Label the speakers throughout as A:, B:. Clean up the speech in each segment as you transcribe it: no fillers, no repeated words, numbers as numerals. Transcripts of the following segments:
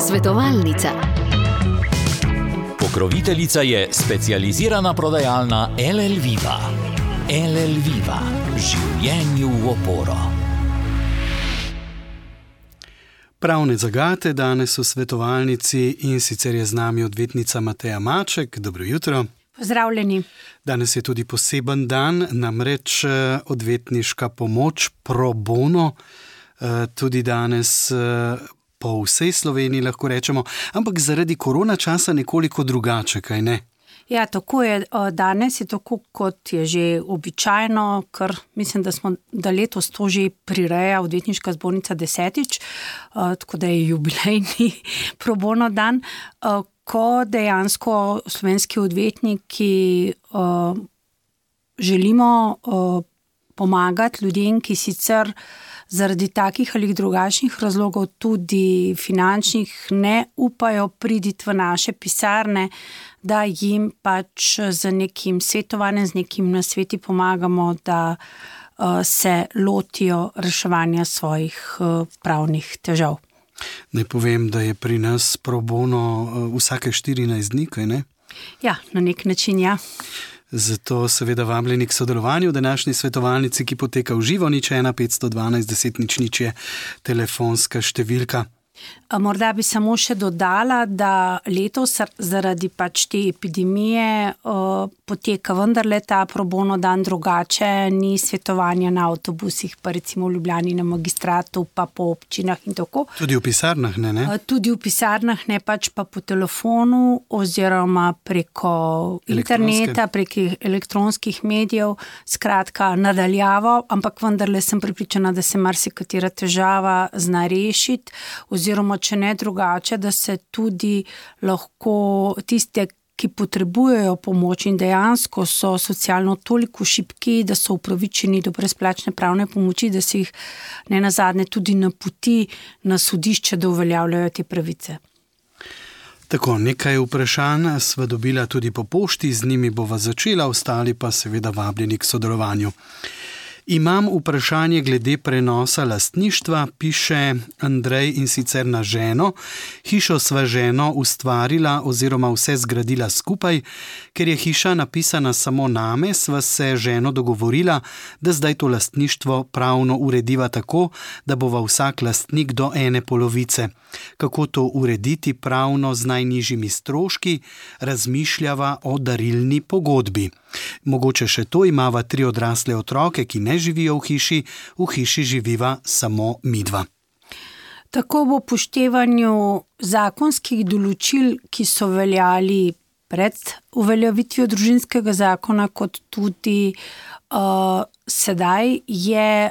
A: Svetovalnica.
B: Pokroviteljica je specializirana prodajalna LL Viva. LL Viva. Življenju v oporo.
C: Pravne zagate danes v svetovalnici in sicer je z nami odvetnica Mateja Maček. Dobro jutro.
D: Pozdravljeni.
C: Danes je tudi poseben dan, namreč odvetniška pomoč pro bono. Tudi danes po vsej Sloveniji lahko rečemo, ampak zaradi korona časa nekoliko drugače, kaj ne?
D: Ja, tako je. Danes je tako, kot je že običajno, ker mislim, da letos to že prireja odvetniška zbornica 10. Tako da je jubilejni pro bono dan, ko dejansko slovenski odvetniki želimo pomagati ljudem, ki sicer zaradi takih ali drugačnih razlogov, tudi finančnih, ne upajo priti v naše pisarne, da jim pač z nekim svetovanjem, z nekim nasveti pomagamo, da se lotijo reševanja svojih pravnih težav.
C: Ne povem, da je pri nas pro bono vsake 14 dni, kaj ne?
D: Ja, na nek način, ja.
C: Zato seveda vabljeni k sodelovanju v današnji svetovalnici, ki poteka v živo. 01 512 10 00 je telefonska številka.
D: Morda bi samo še dodala, da letos zaradi pač te epidemije poteka vendarle ta pro bono dan drugače, ni svetovanja na avtobusih, pa recimo v Ljubljani na Magistratu, pa po občinah in tako.
C: Tudi v pisarnah ne?
D: Tudi v pisarnah ne, pač pa po telefonu oziroma preko interneta, preko elektronskih medijev, skratka nadaljavo, ampak vendarle sem prepričana, da se marsikatera težava zna rešiti, oziroma če ne drugače, da se tudi lahko tiste, ki potrebujejo pomoč in dejansko so socialno toliko šibki, da so upravičeni do brezplačne pravne pomoči, da se jih nenazadnje tudi napoti na sodišče, da uveljavljajo te pravice.
C: Tako, nekaj vprašanj sva dobila tudi po pošti, z njimi bova začela, ostali pa seveda vabljeni k sodelovanju. Imam vprašanje glede prenosa lastništva, piše Andrej, in sicer na ženo. Hišo sva ženo ustvarila oziroma vse zgradila skupaj. Ker je hiša napisana samo name, sva se ženo dogovorila, da zdaj to lastništvo pravno urediva tako, da bova vsak lastnik do ene polovice. Kako to urediti pravno z najnižjimi stroški, razmišljava o darilni pogodbi. Mogoče še to, imava 3 odrasle otroke, ki ne živijo v hiši živiva samo midva.
D: Tako v upoštevanju zakonskih določil, ki so veljali pred uveljavitvijo družinskega zakona, kot tudi sedaj, je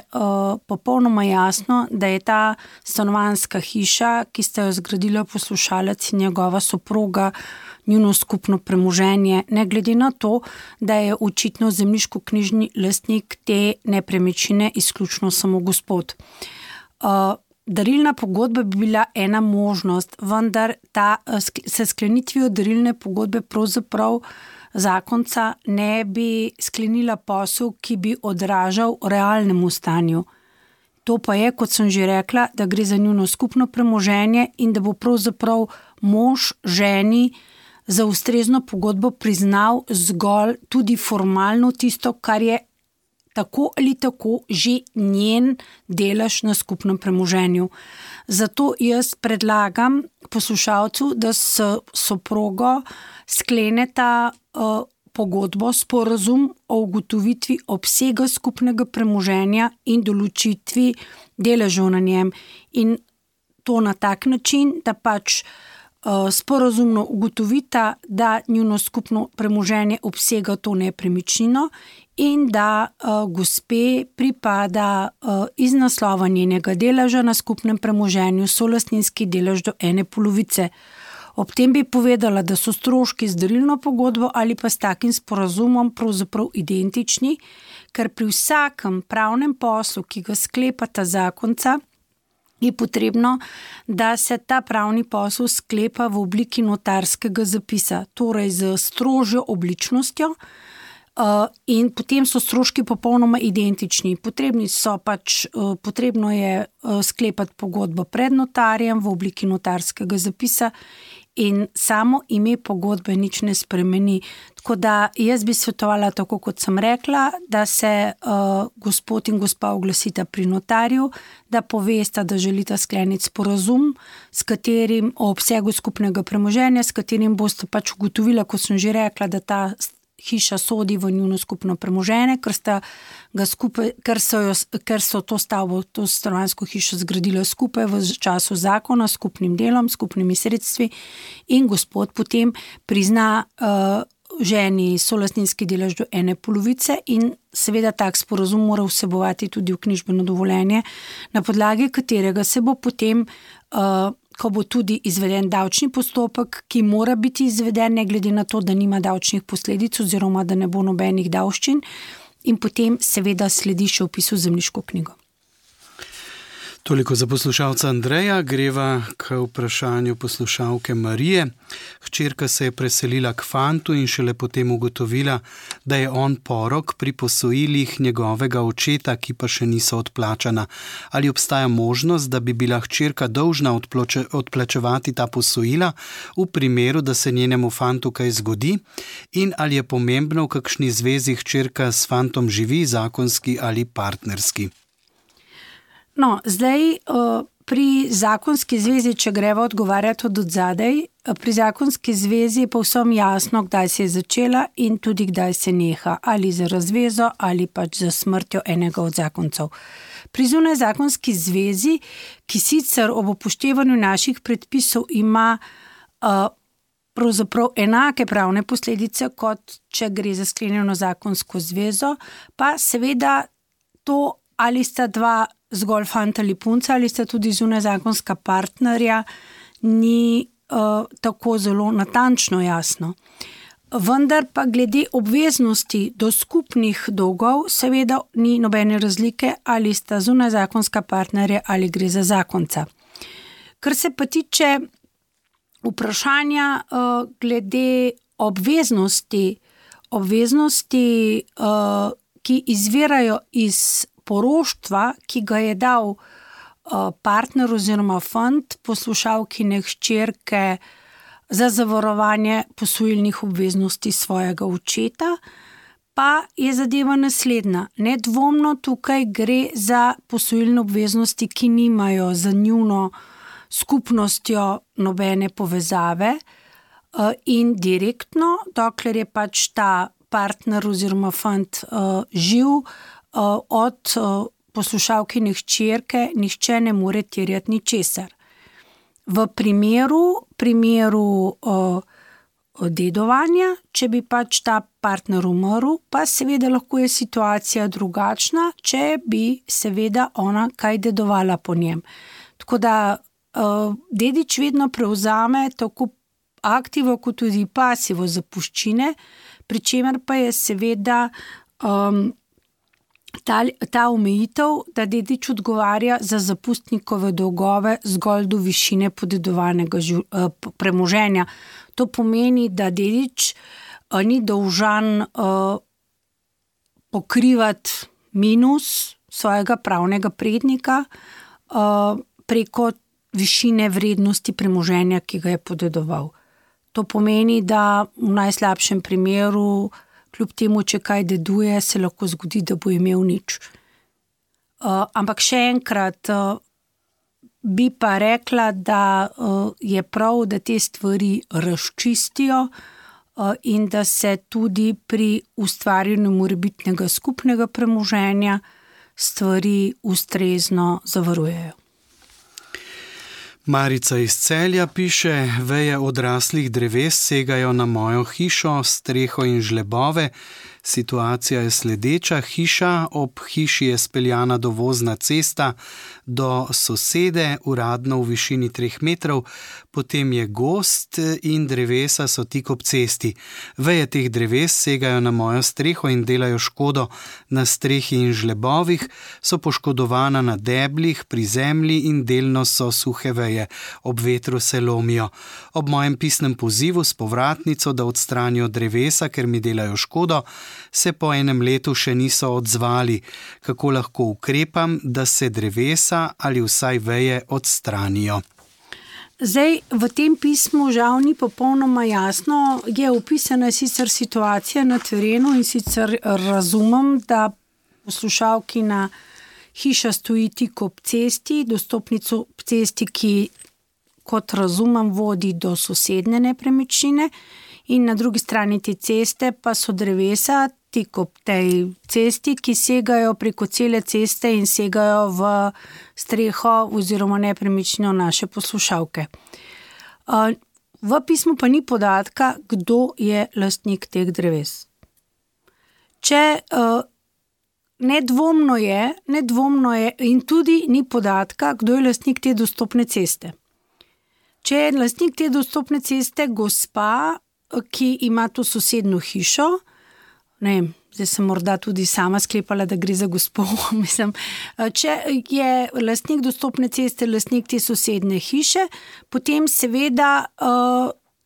D: popolnoma jasno, da je ta stanovanjska hiša, ki sta jo zgradila poslušalec in njegova soproga, njuno skupno premoženje, ne glede na to, da je očitno zemljiškoknjižni lastnik te nepremičnine izključno samo gospod. Darilna pogodba bi bila ena možnost, vendar se sklenitvijo darilne pogodbe pravzaprav zakonca ne bi sklenila posel, ki bi odražal realnemu stanju. To pa je, kot sem že rekla, da gre za njuno skupno premoženje in da bo pravzaprav mož ženi za ustrezno pogodbo priznal zgolj tudi formalno tisto, kar je tako ali tako že njen delež na skupnem premoženju. Zato jaz predlagam poslušalcu, da s soprogo skleneta pogodbo, sporazum o ugotovitvi obsega skupnega premoženja in določitvi deležev na njem. In to na tak način, da pač sporazumno ugotovita, da njuno skupno premoženje obsega to nepremičnino in da gospe pripada iz naslova njenega deleža na skupnem premoženju solastninski delež do ene polovice. Ob tem bi povedala, da so stroški z darilno pogodbo ali pa s takim sporazumom pravzaprav identični, ker pri vsakem pravnem poslu, ki ga sklepata zakonca, je potrebno, da se ta pravni posel sklepa v obliki notarskega zapisa, torej z strožjo obličnostjo, in potem so stroški popolnoma identični. Potrebno je sklepati pogodbo pred notarjem v obliki notarskega zapisa in samo ime pogodbe nič ne spremeni. Tako da jaz bi svetovala, tako kot sem rekla, da se gospod in gospa oglasita pri notarju, da povesta, da želita skleniti sporazum, s katerim o obsegu skupnega premoženja, s katerim boste pač ugotovila, kot sem že rekla, da ta hiša sodi v njuno skupno premoženje, ker so to stavbo, to stanovanjsko hišo zgradila skupaj v času zakona, s skupnim delom, skupnimi sredstvi in gospod potem prizna ženi solastninski delež do 1/2 in seveda tak sporazum mora vsebovati tudi vknjižbeno dovoljenje, na podlagi katerega se bo potem ko bo tudi izveden davčni postopek, ki mora biti izveden, ne glede na to, da nima davčnih posledic oziroma da ne bo nobenih davščin, in potem seveda sledi še vpis v zemljiško knjigo.
C: Toliko za poslušalca Andreja, greva k vprašanju poslušalke Marije. Hčerka se je preselila k fantu in šele potem ugotovila, da je on porok pri posojilih njegovega očeta, ki pa še niso odplačana. Ali obstaja možnost, da bi bila hčerka dolžna odplačevati ta posojila v primeru, da se njenemu fantu kaj zgodi? In ali je pomembno, v kakšni zvezi hčerka s fantom živi, zakonski ali partnerski?
D: No, zdaj pri zakonski zvezi, če greva odgovarjati od odzadej, pri zakonski zvezi je povsem jasno, kdaj se je začela in tudi kdaj se neha, ali za razvezo ali pač za smrtjo enega od zakoncev. Pri zunajzakonski zvezi, ki sicer ob upoštevanju naših predpisov ima pravzaprav enake pravne posledice, kot če gre za sklenjeno zakonsko zvezo, pa seveda to, ali sta dva zgolj fant ali punca, ali sta tudi zunajzakonska partnerja, ni tako zelo natančno jasno. Vendar pa glede obveznosti do skupnih dolgov seveda ni nobene razlike, ali sta zunajzakonska partnerja ali gre za zakonca. Kar se pa tiče vprašanja glede obveznosti, ki izvirajo iz poroštva, ki ga je dal partner oziroma fant poslušalkine hčerke za zavarovanje posojilnih obveznosti svojega očeta, pa je zadeva naslednja. Nedvomno tukaj gre za posojilne obveznosti, ki nimajo za njuno skupnostjo nobene povezave in direktno, dokler je pač ta partner oziroma fant živ, od poslušalkine hčerke nihče ne more terjati ničesar. V primeru dedovanja, če bi pač ta partner umrl, pa seveda lahko je situacija drugačna, če bi seveda ona kaj dedovala po njem. Tako da dedič vedno prevzame tako aktivo kot tudi pasivo zapuščine, pri čemer pa je seveda ta omejitev, da dedič odgovarja za zapustnikove dolgove zgolj do višine podedovanega premoženja. To pomeni, da dedič ni dolžan pokrivati minus svojega pravnega prednika preko višine vrednosti premoženja, ki ga je podedoval. To pomeni, da v najslabšem primeru, kljub temu, če kaj deduje, se lahko zgodi, da bo imel nič. Ampak še enkrat bi pa rekla, da je prav, da te stvari razčistijo in da se tudi pri ustvarjanju morebitnega skupnega premoženja stvari ustrezno zavarujejo.
C: Marica iz Celja piše: veje odraslih dreves segajo na mojo hišo, streho in žlebove. Situacija je sledeča: hiša, ob hiši je speljana dovozna cesta do sosede, uradno v višini 3 metrov, potem je gozd in drevesa so tik ob cesti. Veje teh dreves segajo na mojo streho in delajo škodo na strehi in žlebovih, so poškodovana na deblih, pri zemlji in delno so suhe veje, ob vetru se lomijo. Ob mojem pisnem pozivu s povratnico, da odstranijo drevesa, ker mi delajo škodo, se po enem letu še niso odzvali. Kako lahko ukrepam, da se drevesa ali vsaj veje odstranijo?
D: Zdaj, v tem pismu žal ni popolnoma jasno, je opisana sicer situacija na terenu in sicer razumem, da poslušalkina hiša stoji tik ob cesti, dostopnico ob cesti, ki, kot razumem, vodi do sosednje nepremičnine in na drugi strani te ceste pa so drevesa tik ob tej cesti, ki segajo preko cele ceste in segajo v streho oziroma nepremičnino naše poslušalke. V pismu pa ni podatka, kdo je lastnik teh dreves. Nedvomno je in tudi ni podatka, kdo je lastnik te dostopne ceste. Če je lastnik te dostopne ceste gospa, ki ima to sosednjo hišo, ne vem, zdaj sem morda tudi sama sklepala, da gre za gospo, mislim, če je lastnik dostopne ceste, lastnik te sosednje hiše, potem seveda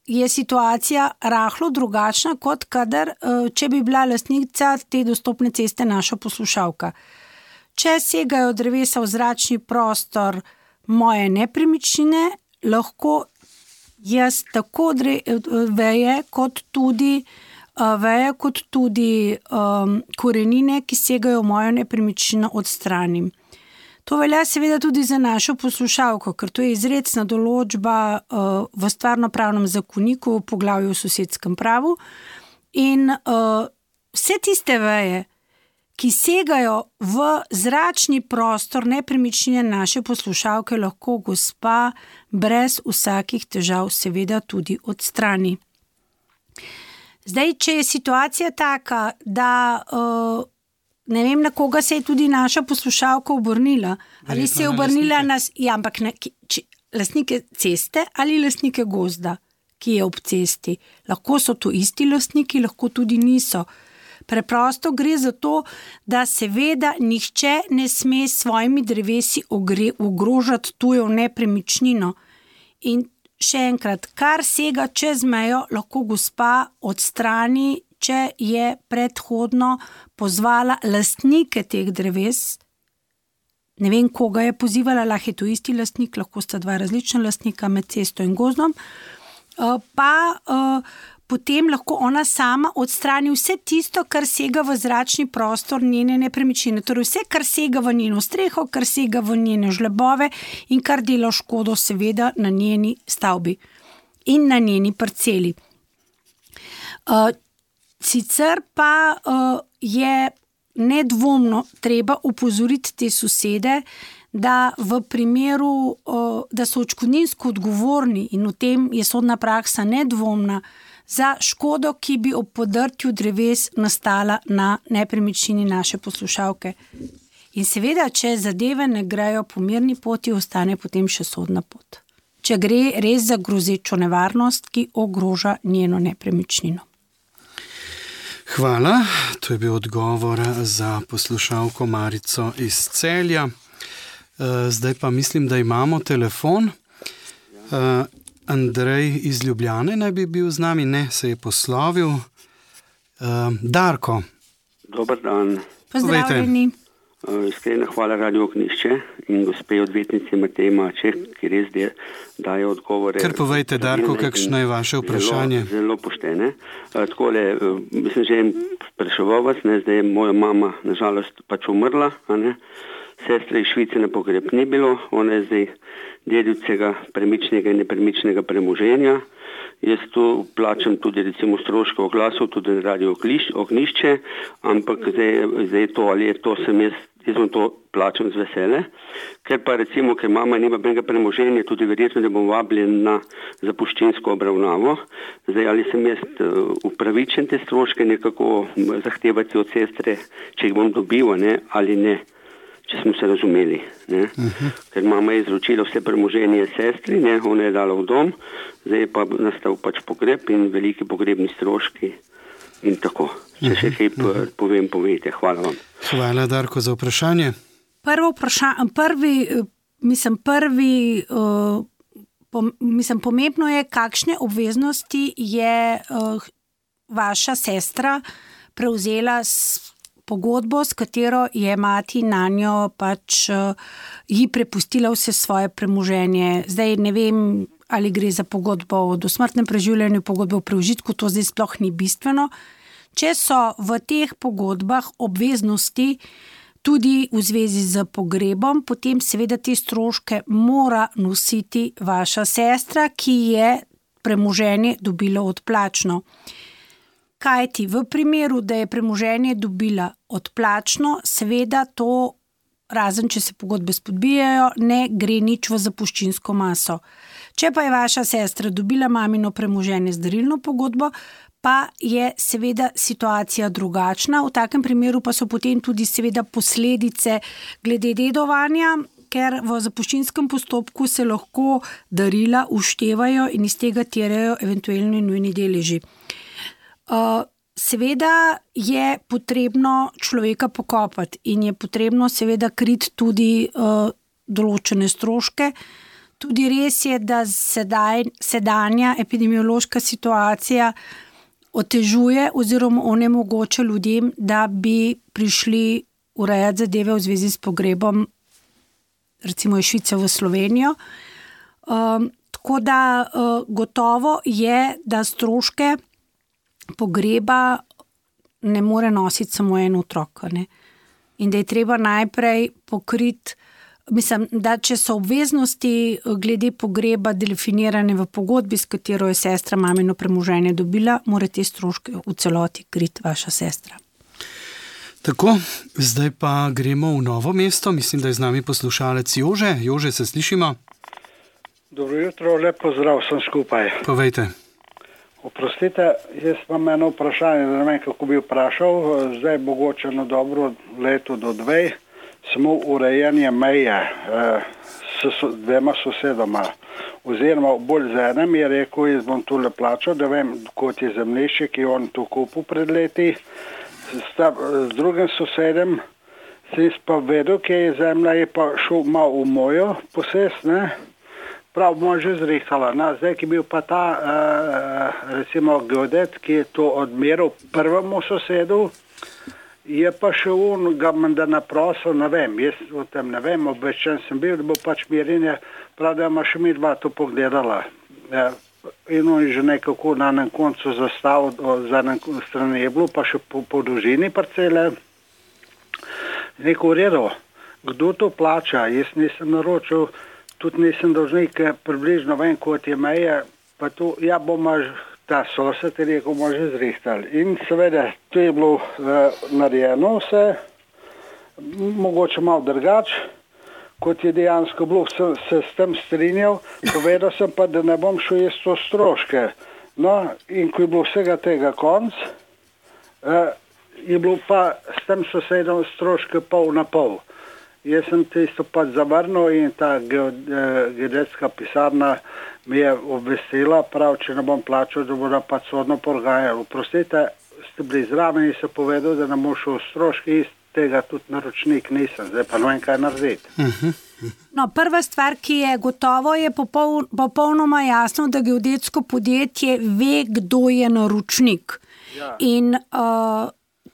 D: je situacija rahlo drugačna, kot kadar, če bi bila lastnica te dostopne ceste naša poslušalka. Če segajo drevesa v zračni prostor moje nepremičnine, lahko jaz tako veje kot tudi korenine, ki segajo v mojo nepremičnino, odstranim. To velja seveda tudi za našo poslušalko, ker to je izrecna določba v stvarnopravnem zakoniku v poglavju o sosedskem pravu in vse tiste veje, ki segajo v zračni prostor nepremičnine naše poslušalke, lahko gospa brez vsakih težav seveda tudi odstrani. Zdaj, če je situacija taka, da ne vem, na koga se je tudi naša poslušalka obrnila, ali se je obrnila ampak lastnike ceste ali lastnike gozda, ki je ob cesti. Lahko so to isti lastniki, lahko tudi niso. Preprosto gre za to, da seveda nihče ne sme s svojimi drevesi ogrožati tujo nepremičnino. In še enkrat, kar sega čez mejo, lahko gospa odstrani, če je predhodno pozvala lastnike teh dreves. Ne vem, koga je pozivala, lahko je to isti lastnik, lahko sta dva različna lastnika med cesto in gozdom. Potem lahko ona sama odstrani vse tisto, kar sega v zračni prostor njene nepremičnine. Torej vse, kar sega v njeno streho, kar sega v njene žlebove in kar dela škodo seveda na njeni stavbi in na njeni parceli. Sicer pa je nedvomno treba opozoriti te sosede, da v primeru, da so odškodninsko odgovorni in v tem je sodna praksa nedvomna, za škodo, ki bi ob podrtju dreves nastala na nepremičnini naše poslušalke. In seveda, če zadeve ne grejo po mirni poti, ostane potem še sodna pot. Če gre res za grozečo nevarnost, ki ogroža njeno nepremičnino.
C: Hvala, to je bil odgovor za poslušalko Marico iz Celja. Zdaj pa mislim, da imamo telefon. Andrej iz Ljubljane naj bi bil z nami, ne, se je poslovil. Darko.
A: Dober dan.
D: Pozdravljeni.
A: Iskrena hvala Radio Ognjišče in gospe odvetnici Mateji Maček, ki res daje odgovore.
C: Kar povejte, Darko, kakšno je vaše vprašanje?
A: Zelo poštene. Takole, mislim, že spraševal vas, zdaj je moja mama nažalost pač umrla, sestre iz Švice na pogreb ni bilo, ona je zdaj dedivcega premičnega in nepremičnega premoženja. Jaz tu plačam tudi recimo stroške oglasov, tudi Radio Ognjišče, ampak zdaj to, ali je to, jaz vam to plačam z vesele, ker pa recimo, ker mama nima benega premoženja, tudi verjetno, da bom vabljen na zapuščinsko obravnavo. Zdaj, ali sem jaz upravičen te stroške nekako zahtevati od sestre, če jih bom dobil, ali ne, če smo se razumeli. Ker mama je izročila vse premoženje sestri, ona je dala v dom, zdaj je pa nastal pač pogreb in veliki pogrebni stroški in tako. Če še kaj povejte. Hvala vam.
C: Hvala, Darko, za vprašanje.
D: Pomembno je, kakšne obveznosti je vaša sestra prevzela pogodbo, s katero je mati na njo pač ji prepustila vse svoje premoženje. Zdaj ne vem, ali gre za pogodbo o dosmrtnem preživljanju, pogodbo o preužitku, to zdaj sploh ni bistveno. Če so v teh pogodbah obveznosti tudi v zvezi z pogrebom, potem seveda te stroške mora nositi vaša sestra, ki je premoženje dobila odplačno. Kajti v primeru, da je premoženje dobila odplačno, seveda to, razen če se pogodbe spodbijajo, ne gre nič v zapuščinsko maso. Če pa je vaša sestra dobila mamino premoženje z darilno pogodbo, pa je seveda situacija drugačna. V takem primeru pa so potem tudi seveda posledice glede dedovanja, ker v zapuščinskem postopku se lahko darila uštevajo in iz tega terjajo eventualno nujni deleži. Seveda je potrebno človeka pokopati in je potrebno seveda kriti tudi določene stroške. Tudi res je, da sedanja epidemiološka situacija otežuje oziroma onemogoča ljudem, da bi prišli urejati zadeve v zvezi s pogrebom, recimo iz Švice v Slovenijo. Tako da gotovo je, da stroške pogreba ne more nositi samo en otrok, ne? In da je treba najprej pokriti, mislim, da če so obveznosti glede pogreba definirane v pogodbi, s katero je sestra mamino premoženje dobila, mora te stroške v celoti kriti vaša sestra.
C: Tako, zdaj pa gremo v Novo mesto. Mislim, da je z nami poslušalec Jože. Jože, se slišimo?
E: Dobro jutro, lep pozdrav vsem skupaj.
C: Povejte.
E: Oprostite, jaz imam eno vprašanje, ne vem, kako bi vprašal. Zdaj mogoče na dobro leto do 2 samo urejanje meje s dvema sosedoma. Oziroma bolj z enem je rekel, jaz bom tule plačal, da vem, kot je zemljišče, ki je on tu kupil pred leti. Z drugim sosedem sem pa vedel, kje je zemlja, je pa šel malo v mojo posest, ne? Prav bomo že zrihtala. Zdaj, ki je bil pa ta, recimo, geodet, ki je to odmeril prvemu sosedu, je pa še on ga menda naprosil, ne vem, jaz o tem ne vem, obveščen sem bil, da bo pač mirenje, prav da ima še mi dva to pogledala. In on je že nekako na enem koncu zastavil, za enem strani je bilo, pa še po dolžini parcele. Neko v redu, kdo to plača? Jaz nisem naročil, tudi nisem dolžnik, približno vem, kot je meje, pa tu, ja, bomo ta sosed je rekel, bomo že zrihtali. In seveda, to je bilo narejeno vse, mogoče malo drugače, kot je dejansko bilo, sem se s tem strinjal, povedal sem pa, da ne bom šel jaz to stroške. No, in ko je bilo vsega tega konc, je bilo pa s tem sosedom stroške pol na pol. Jaz sem tisto pač zavrnil in ta geodetska pisarna mi je obvestila, prav, če ne bom plačal, da bodo pač sodno porgajali. Oprostite, ste bili zraven in se povedal, da ne bom šel stroški, iz tega tudi naročnik nisem, zdaj pa ne vem, kaj narediti.
D: No, prva stvar, ki je gotovo, je popolnoma jasno, da geodetsko podjetje ve, kdo je naročnik. Ja. In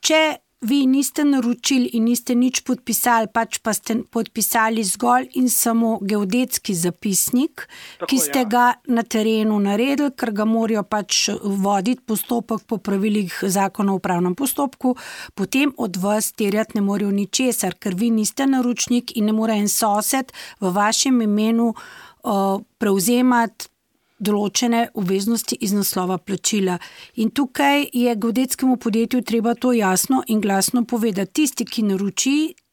D: če vi niste naročili in niste nič podpisali, pač pa ste podpisali zgolj in samo geodetski zapisnik, tako, ki ste ga na terenu naredili, ker ga morajo pač voditi postopek po pravilih zakona o upravnem postopku, potem od vas terjati ne morajo ničesar, ker vi niste naročnik in ne more en sosed v vašem imenu prevzemati določene obveznosti iz naslova plačila. In tukaj je geodetskemu podjetju treba to jasno in glasno povedati. Tisti, ki naroči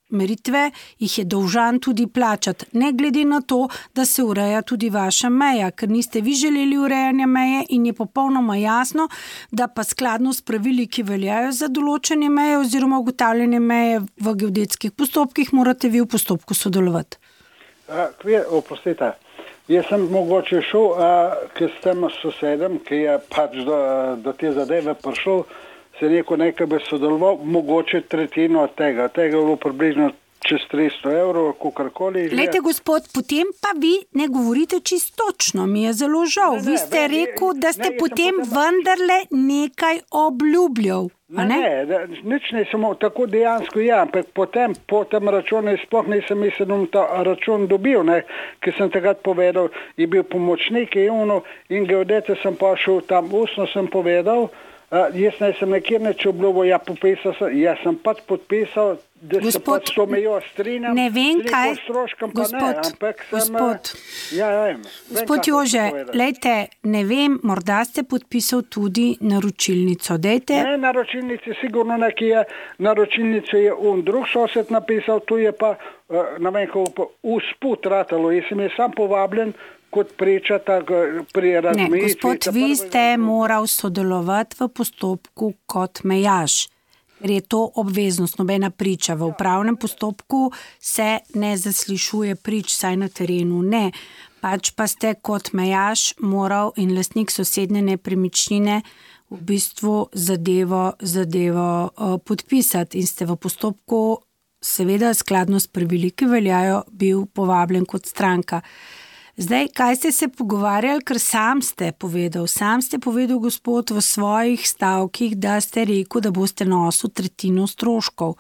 D: meritve, jih je dolžan tudi plačati. Ne glede na to, da se ureja tudi vaša meja, ker niste vi želeli urejanja meje in je popolnoma jasno, da pa skladno s pravili, ki veljajo za določene meje oziroma ugotavljanje meje v geodetskih postopkih, morate vi v postopku sodelovati.
E: Oprostite. Jaz sem mogoče šel, ker s tem sosedem, ki je pač do te zadeve prišel, se neko nekaj bi sodeloval, mogoče tretjino od tega. Tega je bilo približno čez 300 evrov, kakorkoli.
D: Glejte, gospod, potem pa vi ne govorite čisto točno, mi je zelo žal. Vi ste rekel, da ste potem vendarle nekaj obljubljal.
E: Nič ne, samo tako dejansko ampak potem po tem računu sploh nisem mislil, ta račun dobil, ker sem takrat povedal, je bil pomočnik in geodete sem pa šel tam, ustno sem povedal, jaz nisem nekjer neč obljubil, jaz sem pač podpisal, da se pač to mejo strinjam.
D: Ne vem, kaj... Gospod Jože, lejte, ne vem, morda ste podpisal tudi naročilnico. Dejte...
E: Ne, naročilnici sigurno nekaj je. Naročilnico je drug sosed napisal, tu je pa, ne vem, kako usput ratalo. Jaz sem je sam povabljen kot priča pri razmejitvi.
D: Ne, gospod, vi ste moral sodelovati v postopku kot mejaš. Ker je to obveznost, nobena priča. V upravnem postopku se ne zaslišuje prič, saj na terenu ne. Pač pa ste kot mejaš moral in lastnik sosednje nepremičnine v bistvu zadevo podpisati in ste v postopku, seveda skladno s pravili, ki veljajo, bil povabljen kot stranka. Zdaj, kaj ste se pogovarjali, ker sam ste povedal, gospod, v svojih stavkih, da ste rekel, da boste nosil tretjino stroškov.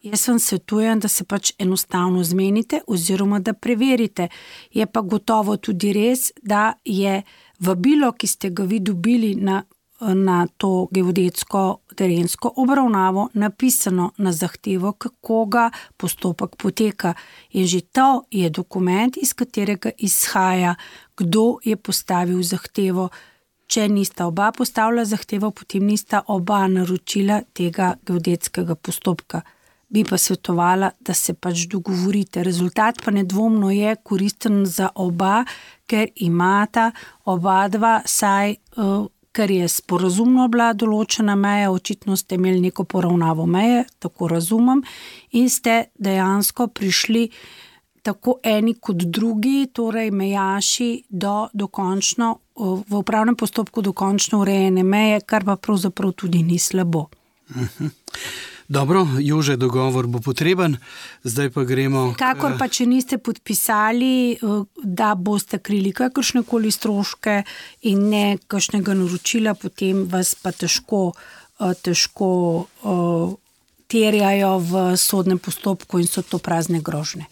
D: Jaz vam svetujem, da se pač enostavno zmenite oziroma da preverite. Je pa gotovo tudi res, da je vabilo, ki ste ga vi dobili na to geodetsko terensko obravnavo napisano na zahtevo, kako ga postopek poteka. In že to je dokument, iz katerega izhaja, kdo je postavil zahtevo. Če nista oba postavila zahtevo, potem nista oba naročila tega geodetskega postopka. Bi pa svetovala, da se pač dogovorite. Rezultat pa nedvomno je koristen za oba, ker imata oba dva saj... ker je sporazumno bila določena meja, očitno ste imeli neko poravnavo meje, tako razumem, in ste dejansko prišli tako eni kot drugi, torej mejaši, do dokončno, v upravnem postopku dokončno urejene meje, kar pa pravzaprav tudi ni slabo.
C: Dobro, Jože, dogovor bo potreben, zdaj pa gremo...
D: Kakor pa, če niste podpisali, da boste krili kakršnekoli stroške in ne kakšnega naročila, potem vas pa težko terjajo v sodnem postopku in so to prazne grožnje.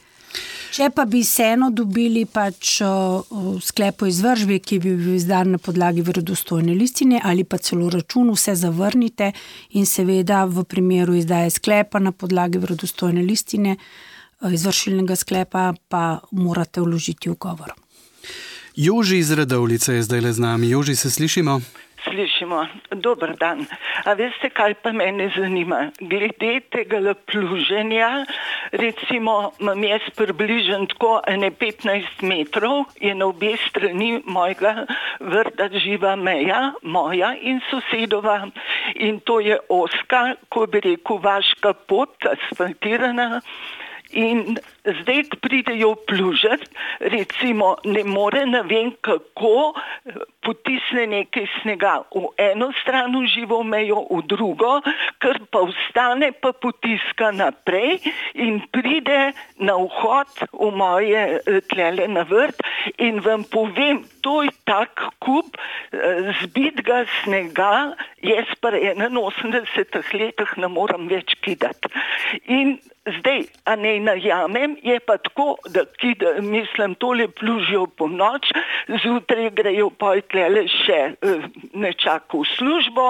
D: Če pa bi vseeno dobili pač sklep o izvršbi, ki bi bil izdan na podlagi verodostojne listine ali pa celo račun, vse zavrnite in seveda v primeru izdaje sklepa na podlagi verodostojne listine, izvršilnega sklepa, pa morate vložiti ugovor.
C: Joži iz Radovljice je zdaj le z nami. Joži, se slišimo?
F: Slišimo. Dober dan. A veste, kaj pa mene zanima? Glede tega pluženja, recimo, imam jaz približen tako 15 metrov, je na obe strani mojega vrta živa meja, moja in sosedova. In to je ozka, ko bi rekel, vaška pot, asfaltirana. In zdaj, ko pridejo plužati, recimo, ne more, ne vem kako, potisne nekaj snega v eno stran v živo mejo, v drugo, ker pa ostane, pa potiska naprej in pride na vhod v moje tlele na vrt in vam povem, to je tak kup zbitega snega, jaz pa 81 letih ne moram več kidati. In zdaj, a ne najamem, je pa tako, da mislim, tole plužijo po noč, zjutraj grejo pa tlele še nečako v službo,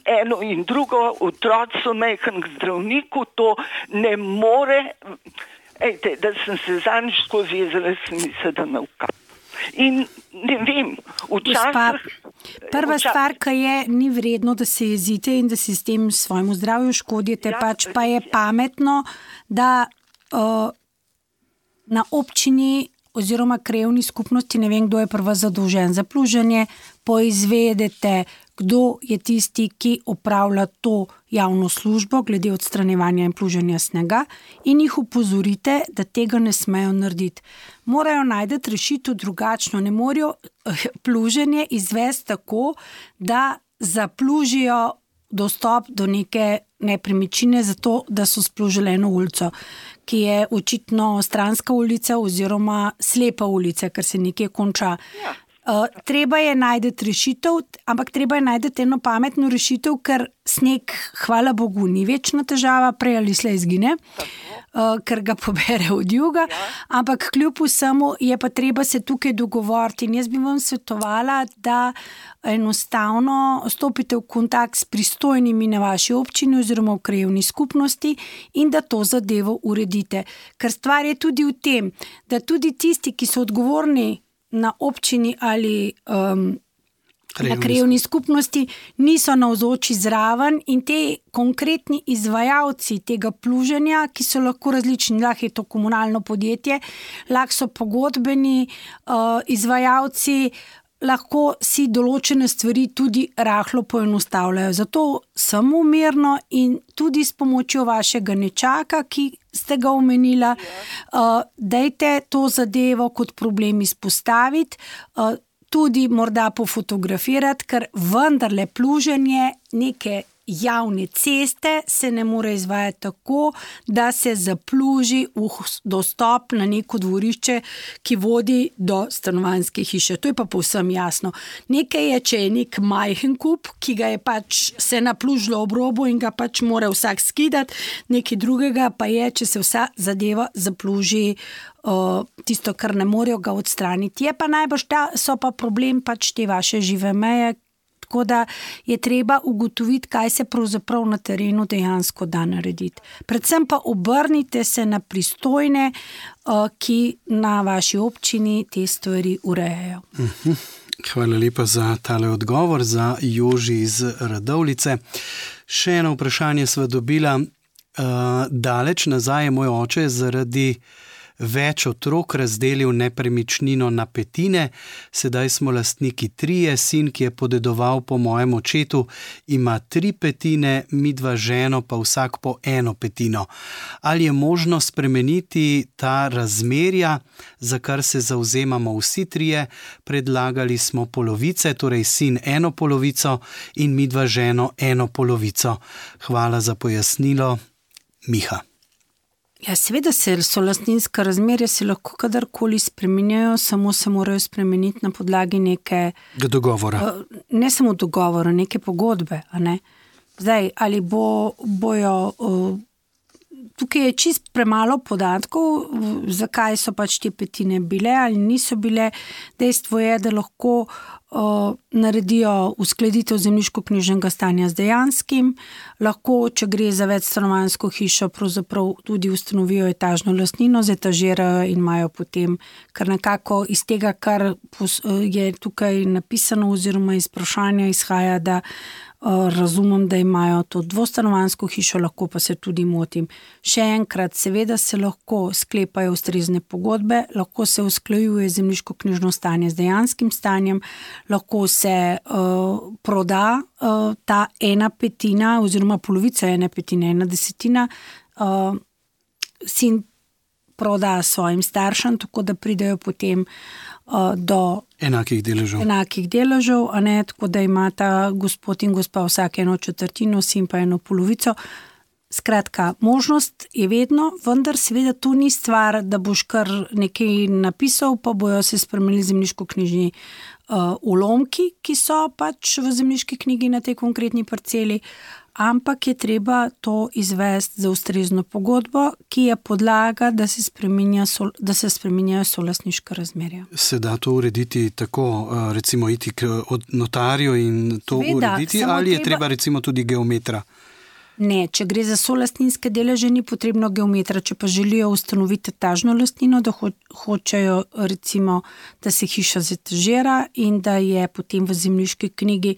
F: eno in drugo, otroci so majhen k zdravniku, to ne more, ejte, da sem se zadnjič skozi jezela, sem mislila, da me vkap. In ne vem, včasih...
D: Prva stvar, ki je, ni vredno, da se jezite in da si s tem svojemu zdravju škodite, pač pa je pametno, da na občini oziroma krajevni skupnosti, ne vem, kdo je prva zadolžen za pluženje, poizvedete, kdo je tisti, ki opravlja to javno službo glede odstranjevanja in pluženja snega in jih opozorite, da tega ne smejo narediti. Morajo najti rešitev drugačno, ne morajo pluženje izvesti tako, da zaplužijo dostop do neke nepremičnine zato, da so splužili eno ulico, ki je očitno stranska ulica oziroma slepa ulica, ker se nekje konča. Treba je najti rešitev, ampak treba je najti eno pametno rešitev, ker sneg, hvala Bogu, ni večna težava, prej ali slej izgine, ker ga pobere od juga, ampak kljub vsemu je pa treba se tukaj dogovoriti. In jaz bi vam svetovala, da enostavno stopite v kontakt s pristojnimi na vaši občini oziroma v krajevni skupnosti in da to zadevo uredite. Ker stvar je tudi v tem, da tudi tisti, ki so odgovorni na občini ali na krajevni skupnosti, niso navzoči zraven in te konkretni izvajalci tega pluženja, ki so lahko različni, lahko je to komunalno podjetje, lahko so pogodbeni izvajalci, lahko si določene stvari tudi rahlo poenostavljajo. Zato samo mirno in tudi s pomočjo vašega nečaka, ki ste ga omenila, dajte to zadevo kot problem izpostaviti, tudi morda pofotografirati, ker vendarle pluženje neke javne ceste se ne more izvajati tako, da se zapluži dostop na neko dvorišče, ki vodi do stanovanjske hiše. To je pa povsem jasno. Nekaj je, če je nek majhen kup, ki ga je pač se naplužilo ob robu in ga pač mora vsak skidati, nekaj drugega pa je, če se vsa zadeva zapluži tisto, kar ne morejo ga odstraniti. Je pa najbolj so pa problem pač te vaše žive meje, tako da je treba ugotoviti, kaj se pravzaprav na terenu dejansko da narediti. Predvsem pa obrnite se na pristojne, ki na vaši občini te stvari urejajo.
C: Hvala lepa za tale odgovor, za Joži iz Radovljice. Še eno vprašanje sva dobila. Daleč nazaj je moj oče zaradi več otrok razdelil nepremičnino na petine, sedaj smo lastniki 3, sin, ki je podedoval po mojem očetu, ima 3 petine, midva ženo pa vsak po 1 petino. Ali je možno spremeniti ta razmerja, za kar se zavzemamo vsi 3? Predlagali smo polovice, torej sin 1 polovico in midva ženo 1 polovico. Hvala za pojasnilo, Miha.
D: Ja, seveda so lastninska razmerja se lahko kadarkoli spreminjajo, samo se morajo spremeniti na podlagi neke
C: dogovora.
D: Ne samo dogovora, neke pogodbe. A ne? Zdaj, ali bojo tukaj je čist premalo podatkov, zakaj so pač te petine bile ali niso bile. Dejstvo je, da lahko naredijo uskladitev zemljiško-knjižnega stanja z dejanskim, lahko, če gre za večstanovanjsko hišo, pravzaprav tudi ustanovijo etažno lastnino, zetažirajo in imajo potem, kar nekako iz tega, kar je tukaj napisano oziroma iz vprašanja izhaja, da razumem, da imajo to dvostanovanjsko hišo, lahko pa se tudi motim. Še enkrat, seveda se lahko sklepajo ustrezne pogodbe, lahko se usklajuje zemljiško-knjižno stanje z dejanskim stanjem, lahko se proda ta 1 petina oziroma polovica 1 petine, 1/10, sin proda svojim staršem, tako da pridejo potem do
C: enakih
D: deležev, a ne, tako da imata gospod in gospa vsak 1/4, sin pa 1 polovico. Skratka, možnost je vedno, vendar seveda to ni stvar, da boš kar nekaj napisal, pa bojo se spremenili zemljiško-knjižni ulomki, ki so pač v zemljiški knjigi na tej konkretni parceli, ampak je treba to izvesti za ustrezno pogodbo, ki je podlaga, da se spreminjajo solastniška razmerja.
C: Se da to urediti tako, recimo iti k notarju in to urediti, ali je treba recimo tudi geometra?
D: Ne, če gre za solastninske deleže, ni potrebno geometra, če pa želijo ustanoviti etažno lastnino, da hočejo recimo, da se hiša zetažira in da je potem v zemljiški knjigi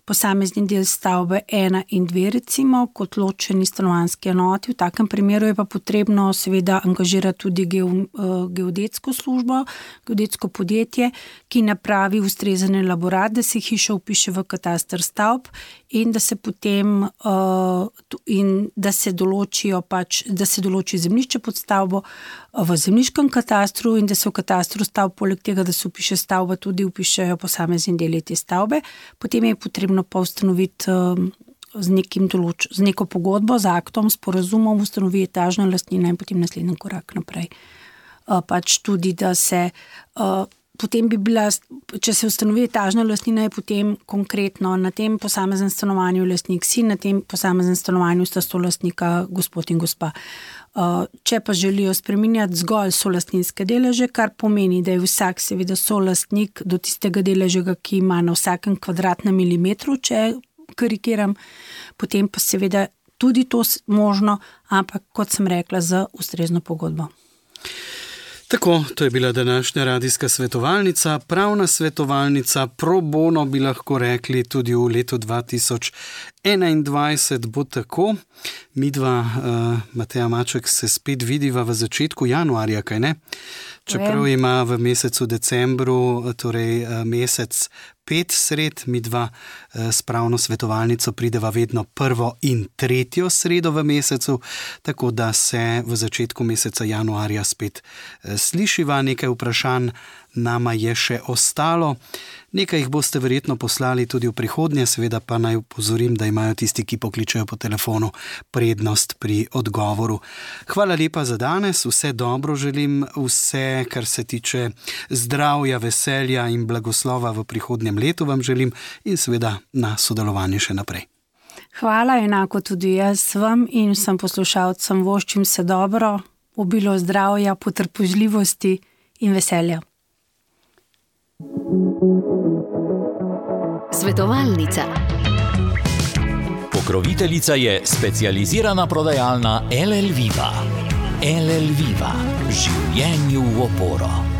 D: posamezni del stavbe 1 in 2 recimo, kot ločeni stanovanjski enoti. V takem primeru je pa potrebno seveda angažirati tudi geodetsko službo, geodetsko podjetje, ki napravi ustrezen elaborat, da se hiša vpiše v kataster stavb in da se potem in da se določi zemljišče pod stavbo v zemljiškem katastru in da se v katastru stavb, poleg tega, da se vpiše stavba, tudi vpišejo posamezni deli te stavbe. Potem je potrebno pa ustanoviti z neko pogodbo, z aktom, sporazumom ustanovi etažna lastnina in potem naslednji korak naprej. Pač tudi, da se potem bi bila, če se ustanovi etažna lastnina, je potem konkretno na tem posameznem stanovanju lastnik si, na tem posameznem stanovanju sta solastnika gospod in gospa. Če pa želijo spreminjati zgolj solastninske deleže, kar pomeni, da je vsak seveda solastnik do tistega deleža, ki ima na vsakem kvadratnem milimetru, če karikiram, potem pa seveda tudi to možno, ampak kot sem rekla, z ustrezno pogodbo.
C: Tako, to je bila današnja radijska svetovalnica, pravna svetovalnica pro bono, bi lahko rekli, tudi v letu 2021 bo tako. Midva, Mateja Maček, se spet vidiva v začetku januarja, kaj ne? Čeprav ima v mesecu decembru, torej mesec 5 sred, midva s pravno svetovalnico prideva vedno 1. in 3. sredo v mesecu, tako da se v začetku meseca januarja spet slišiva. Nekaj vprašanj nama je še ostalo. Nekaj jih boste verjetno poslali tudi v prihodnje, seveda pa naj upozorim, da imajo tisti, ki pokličejo po telefonu, prednost pri odgovoru. Hvala lepa za danes, vse dobro želim, vse, kar se tiče zdravja, veselja in blagoslova v prihodnjem letu vam želim in seveda na sodelovanje še naprej.
D: Hvala, enako tudi jaz vam in vsem poslušalcem voščim se dobro, obilo zdravja, potrpežljivosti in veselja.
B: Svetovalnica. Pokroviteljica je specializirana prodajalna LL Viva. LL Viva. Življenju v oporo.